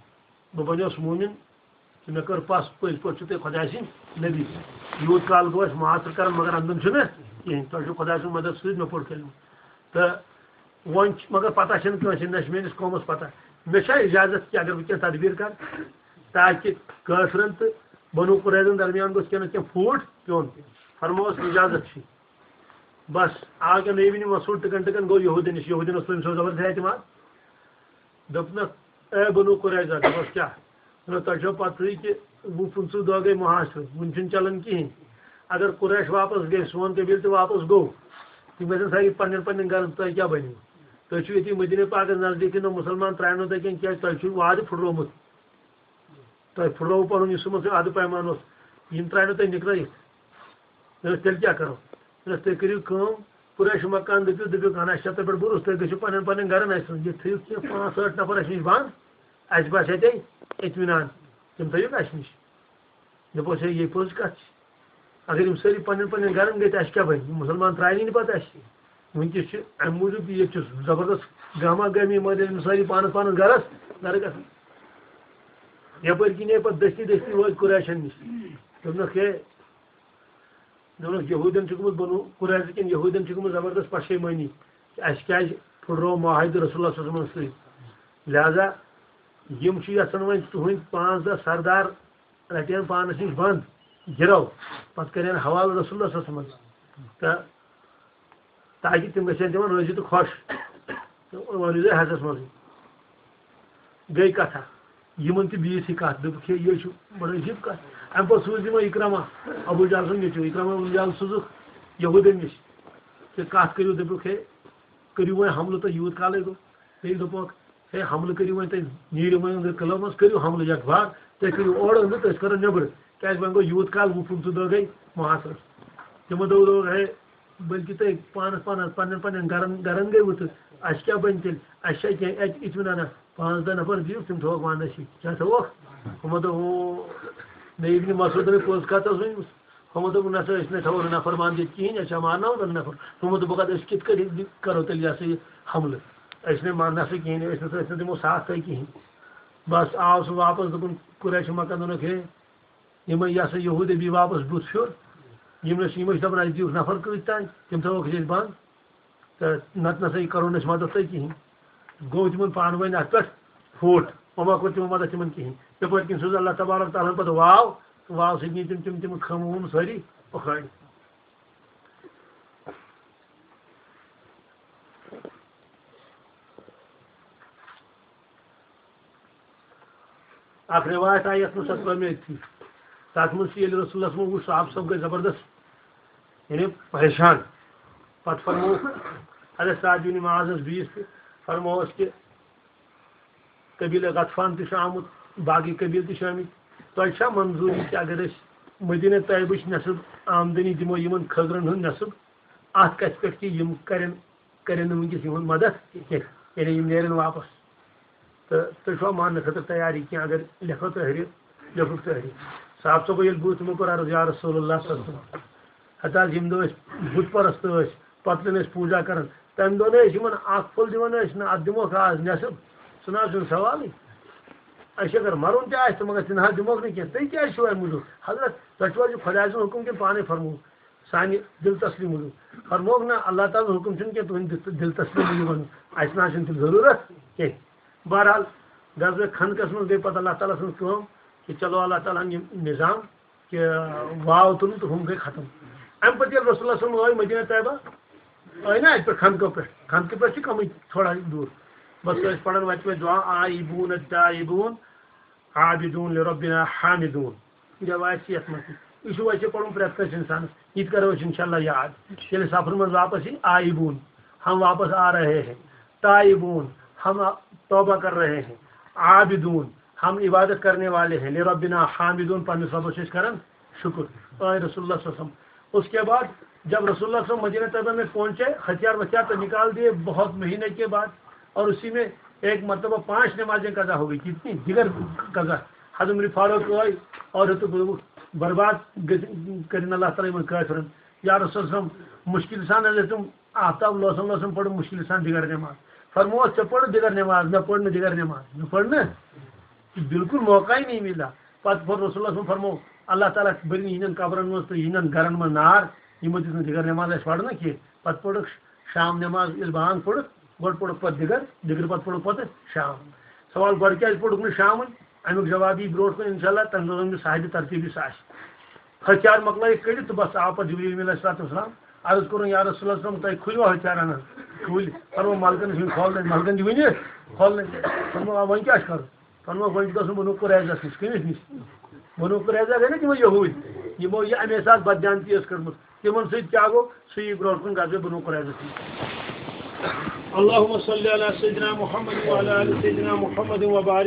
بہٕ بنیوس مومن، تہٕ مےٚ کٔر پژھ، پٔزۍ پٲٹھۍ چھِو تُہۍ خۄداے سٕنٛدۍ نبی۔ یوٗت کال گوٚو اَسہِ معاصرٕ کران، مگر اندان چھُنہٕ کِہیٖنۍ، تۄہہِ چھُو خۄداے سٕنٛز مدد سۭتۍ مےٚ پوٚر کلمہٕ۔ تہٕ وۄنۍ چھِ، مگر پتہ چھَنہٕ کٲنٛسہِ، نہ چھِ میٲنِس قومس پتہ۔ مےٚ چھا اجازت کہِ اگر بہٕ کینٛہہ تدبیر کرٕ، تاکہِ کٲفرن تہٕ بنو قریظن درمیان گوٚژھ کینٛہہ نتہٕ کینٛہہ پھوٗٹ پیوٚن؟ فرمووس، اجازت چھُ۔ بس، آو کیٛاہ نبی ابن مسعود ٹکن ٹکن گوٚو یہودین نِش۔ یہودین اوس تٔمۍ سُنٛد زبردست اعتماد۔ دوٚپنَکھ، اے بنو قریظہ، دوٚپُس، کیٛاہ؟ دوٚپنَس، تۄہہِ چھو پتہٕے کہِ وُہ پٕنٛژٕہ دۄہ گٔے محاصرٕ، وُنہِ چھُنہٕ چلان کِہیٖنۍ۔ اگر قریش واپس گٔے، سون قبیٖلہٕ تہِ واپس گوٚو، تِم گژھن سٲری پننٮ۪ن پننٮ۪ن گرن، تۄہہِ کیٛاہ بنیو؟ تُہۍ چھِو ییٚتی مدیٖنہ پاکس نزدیٖکٕے، نہ مُسلمان ترٛاونو تۄہہِ کینٛہہ، کیٛازِ تۄہہِ چھُو وعدٕ پھُٹرومُت۔ تۄہہِ پھُٹرووُ پنُن یُس یِمن سۭتۍ عہدٕ پیمان اوس، یِم ترٛاونو تۄہہِ نِکرٲیِتھ۔ دوٚپُس، تیٚلہِ کیٛاہ کرو؟ دوٚپُس، تُہۍ کٔرِو کٲم، قریش مکہ ہن دٔپِو، دٔپِو، اہن، اَسہِ چھا تۄہہِ پٮ۪ٹھ بروسہٕ، تُہۍ گٔژھِو پننٮ۪ن پننٮ۪ن گرن، اَسہِ سۭتۍ۔ یہِ تھٲیِو کینٛہہ پانٛژھ ٲٹھ نفر اَسہِ نِش بنٛد، اَسہِ باسہِ اَتے اطمینان، تِم تھٲیِو اَسہِ نِش۔ دوٚپُس، ہے، یہِ پوٚز کَتھ چھِ۔ اگر یِم سٲری پننٮ۪ن پننٮ۪ن گرن گٔے، تہٕ اَسہِ کیٛاہ بَنہِ؟ یِم مُسلمان ترٛاونی نہٕ پَتہٕ اَسہِ۔ وٕنکیٚس چھِ اَمہِ موٗجوٗب، ییٚتہِ چھُ زبردست گاما گٲمی مٲدان، یِم سٲری پانَس پانَس گرس گرٕ گژھان۔ یَپٲرۍ کِنۍ آے پَتہٕ دٔستی دٔستی وٲتۍ قریشَن نِش۔ دوٚپنَکھ، ہے، دوٚپنَکھ، یہوٗدٮ۪ن چھِ گٔمٕژ بنو قریظہ کٮ۪ن یہوٗدٮ۪ن چھِ گٔمٕژ زبردست پشیمٲنی کہِ اَسہِ کیٛازِ پھُٹروو معاہدٕ رسول اللہ صلی اللہ علیہ وسلمَس سۭتۍ۔ لہذا یِم چھِ یژھان وۄنۍ تُہٕنٛدۍ پانٛژھ دَہ سردار رَٹن پانَس نِش بنٛد، گِرو، پَتہٕ کَرن حوالہٕ رسول اللہ صلی اللہ علیہ وسلمَس۔ تہٕ تاکہِ تِم گژھن تِمن رٲضی تہٕ خۄش۔ تہٕ وۄنۍ روٗزے حجس منٛزٕے۔ گٔے کتھا، یِمن تہِ بیٖٹھ یہِ کتھ، دوٚپُکھ، ہے، یہِ چھُ بڑٕ عجیٖب کتھ۔ اَمہِ پتہٕ سوٗز یِمو اِکرامہ، ابو جہل سُنٛد نیٚچوٗ، اِکرامہ ابو جہل سوٗزُکھ یہوٗدٮ۪ن نِش، تہٕ کتھ کٔرِو، دوٚپُکھ، ہے، کٔرِو وۄنۍ حملہٕ، تۄہہِ یوٗت کالے گوٚو۔ بیٚیہِ دوٚپُکھ، ہے، حملہٕ کٔرِو وۄنۍ تُہۍ، نیٖرِو وۄنۍ أنٛدرٕ قلعس منٛز، کٔرِو حملہٕ یکبار، تُہۍ کٔرِو اورٕ أنٛدرٕ، تہٕ أسۍ کَرو نیٚبرٕ، کیٛازِ وۄنۍ گوٚو یوٗت کال وُہ پٕنٛژٕہ دۄہ گٔے محاصرَس۔ تِمو دوٚپ، دوٚپُکھ، ہے، بٔلکہِ تُہۍ پانَس پانَس، پنٛنٮ۪ن پنٛنٮ۪ن گَرَن، گَرَن گٔیوٕ، تہٕ اَسہِ کیٛاہ بَنہِ تیٚلہِ؟ اَسہِ چھا کینٛہہ اَتہِ اطمینانہ؟ پانٛژھ دَہ نفر دِیِو، تِم تھٲوَکھ وَنٛدَس ییٚتہِ۔ کیٛاہ تھٲوَکھ؟ ہُمو دوٚپ، ہُہ، مےٚ ابن مسعودَن پوٚز کَتھ ٲس ؤنمٕژ۔ ہُمو دوٚپ، نہ سا، أسۍ نَے تھاوو نہٕ نفر بنٛد ییٚتہِ کِہیٖنۍ، أسۍ چھا مارناوو نہٕ نفر۔ ہُمو دوٚپُکھ، اَدٕ أسۍ کِتھ کٔنۍ کَرو تیٚلہِ یہِ ہسا یہِ حملہٕ؟ أسۍ نَے مارنہٕ سا کِہیٖنۍ، أسۍ نَے، أسۍ نَے دِمو ساتھ تۄہہِ کِہیٖنۍ۔ بس آو سُہ واپس، دوٚپُن قریش مکن، دوٚپنکھ، ہے، یِمے یہِ ہسا یہوٗد ابی واپس بُتھ پھیُر، یِم ٲسۍ، یِم ٲسۍ دَپان، اَسہِ دِیِکھ نفر کۭتۍ تام، تِم تھاوہوکھ أسۍ بنٛد، تہٕ نتہٕ نسا یہِ کرو نہٕ أسۍ مدد تۄہہِ کِہیٖنۍ۔ گوٚو تِمن پانہٕ ؤنۍ اَتھ پٮ۪ٹھ فوٹ، وۄنۍ ما کوٚر تِمو مدد تِمن کِہیٖنۍ۔ یِتھَے پٲٹھۍ کِنۍ سوٗز اللہ تبارک تعالیٰ ہن پتہٕ واو، تہٕ واو سۭتۍ نی تِم، تِم، تِم خٲمہٕ وٲمہٕ سٲری اُکھٲڑۍ۔ اکھ روایت آیہِ یتھ منٛز سۄ ترٲو مےٚ أتھی۔ تتھ منٛز چھُ ییٚلہِ رسول اللہ صلی اللہ علیہ وسلم وُچھ صحابہٕ صٲب گٔے زبردست، یعنی پریشان۔ پتہٕ فرموو حضرت سعد بن معاذس بیٚیِس تہِ، فرمووس کہِ قبیلہ غطفان تہِ چھُ آمُت، باقٕے قبیلہٕ تہِ چھِ آمٕتۍ۔ تۄہہِ چھا منظوٗری کہِ اگر أسۍ مدینہ طیبٕچ نصف آمدنی دِمو یِمن کھٔزرن ہُنٛد نصف، اتھ کتھِ پٮ۪ٹھ کہِ یِم کرن، کرن نہٕ وٕنکیٚس یِہُنٛد مدد کینٛہہ، یعنی یِم نیرن واپس؟ تہٕ تُہۍ چھِوا ماننہٕ خٲطرٕ تیار یہِ کینٛہہ؟ اگر لیکھو تحریر، لیکھُکھ تحریر۔ صاحب صٲبو ییٚلہِ بہٕ تِمو کوٚر عرض، یا رسول اللہ صلی اللہ علیہ وسلم، ہتہٕ حظ یِم دۄہ أسۍ بُت پرست ٲسۍ، پتہٕ ٲسۍ پوٗجا کران، تمہِ دۄہ نہٕ أسۍ یِمن اکھ پھوٚل دِوان ٲسۍ، نہ اتھ دِموکھ آز نٮ۪صٕب، سُہ نہ حظ چھُنہٕ سوالٕے۔ أسۍ اگر مرُن تہِ آسہِ تہٕ مگر تہِ نہ حظ دِموکھ نہٕ کینٛہہ۔ تُہۍ کیٛازِ چھِو امہِ موٗجوٗب؟ حضرت، تۄہہِ چھُو حظ یہِ خۄداے سُنٛد حُکُم کِنہٕ پانے فرموو؟ سانہِ دِل تسلی موٗجوٗب۔ فرمووُکھ نہ، اللہ تعالیٰ ہُنٛد حُکُم چھُنہٕ کینٛہہ، تُہٕنٛدِ دِل، دِل تسلی موٗجوٗب وَنُن۔ اَسہِ نہ حظ چھُنہٕ تیٚلہِ ضروٗرت کینٛہہ۔ بہرحال، غزوہ خندقس منٛز گٔے پتہٕ اللہ تعالیٰ سٕنٛز کٲم کہِ چلو اللہ تعالیٰ ہن یہِ نظام کہِ واو تُلُن تہٕ ہُم گٔے ختم۔ اَمہِ پتہٕ ییٚلہِ رسول اللہ صلی اللہ علیہ وسلم ٲے مدینہ طیبہ، ٲے نہ اَتہِ پٮ۪ٹھ خندقو پٮ۪ٹھ، خندقہٕ پٮ۪ٹھ چھِ کمٕے تھوڑا دوٗر۔ بس ٲسۍ پران وتہِ وتہِ دعا، آئبون التائبون عابدون لربنا حامدون۔ یہِ روایت چھِ یَتھ منٛز تہِ۔ یہِ چھُ ویسے پَرُن پرٛٮ۪تھ کٲنٛسہِ اِنسانَس۔ یہِ تہِ کَرو أسۍ اِنشاءاللہ یاد۔ ییٚلہِ سفرٕ منٛز واپس یی، آئبون، ہم واپس آ رہے ہیں۔ تائبون، ہم توبہ کر رہے ہیں۔ عابدون، ہم عبادت کرنے والے ہیں۔ لربنا حامدون، پنٛنِس رۄبَس چھِ أسۍ کران شکر۔ آئے رسول اللہ صلی اللہ علیہ وسلم۔ اس کے بعد جب رسول اللہ صلی اللہ علیہ وسلم مدینہ طیبہ میں پہنچے، ہتھیار وتھیار تو نکال دیے بہت مہینے کے بعد، اور اسی میں ایک مرتبہ پانچ نمازیں قضا ہو گئی۔ کتنی؟ دیگر قضا۔ حضرت عمر فاروق آئے اور تو برباد کرن اللہ تعالیٰ من کافرن۔ یا رسول اللہ صلی اللہ علیہ وسلم، مشکل سان حضرت تم آفتاب لوسن لوسن پڑھ مشکل سان دیگر نماز۔ فرموس، ژےٚ پٔرنہٕ دیگر نماز، مےٚ پٔر نہٕ دیگر نماز، مےٚ پٔر نہٕ۔ بالکل موقع ہی نہیں ملا۔ پتہٕ پوٚر رسول اللہ صلی اللہ علیہ وسلم فرمو، اللہ تعالیٰ بٔرِن یِہِنٛدٮ۪ن قبرن منٛز تہٕ یِہِنٛدٮ۪ن گرن منٛز نار، یِمو دِژ نہٕ دِگر نٮ۪ماز اَسہِ پرنہٕ کینٛہہ۔ پتہٕ پوٚرُکھ شام نٮ۪ماز، ییٚلہِ بانگ پوٚرُکھ، گۄڈٕ پوٚرُکھ پتہٕ دِگر، دِگرٕ پتہٕ پوٚرُکھ پتہٕ شام۔ سوال، گۄڈٕ کیٛازِ پوٚرُکھ نہٕ شامن؟ اَمیُک جواب یی برونٛٹھ کُن انشاءاللہ، تَمہِ دۄہ زن یُس صاحبِ ترتیٖب یُس آسہِ۔ ہتھیار مۄکلٲیِکھ کٔڑِتھ تہٕ بس آو پتہٕ جبریٖل امیٖن علیہ الصلوۃ والسلام، عرض کوٚرُن، یا رسول اللہ صلی اللہ علیہ وسلم، تۄہہِ کھُلوا ہتھیار انان؟ کھوٗلۍ۔ فرمو، ملکن چھُنہٕ کھولنٕے، ملکن چھِ وٕنہِ کھولنٕے۔ فرمو، آ، وۄنۍ کیٛاہ چھُ کرُن؟ فرمووُکھ، وۄنۍ چھُ گژھُن بنو قریظس نِش۔ کٔمِس نِش؟ بنو قریظہ گٔے نا تِمو یہوٗدۍ، یِمو یہِ اَمے ساتہٕ بددیانتی ٲس کٔرمٕژ۔ تِمن سۭتۍ کیٛاہ گوٚو؟ سُہ یی برونٛٹھ کُن غزوہ بنو قریظس نِش۔ اللہم صلی علی سیدنا محمد وعلی آل سیدنا محمد وبارک۔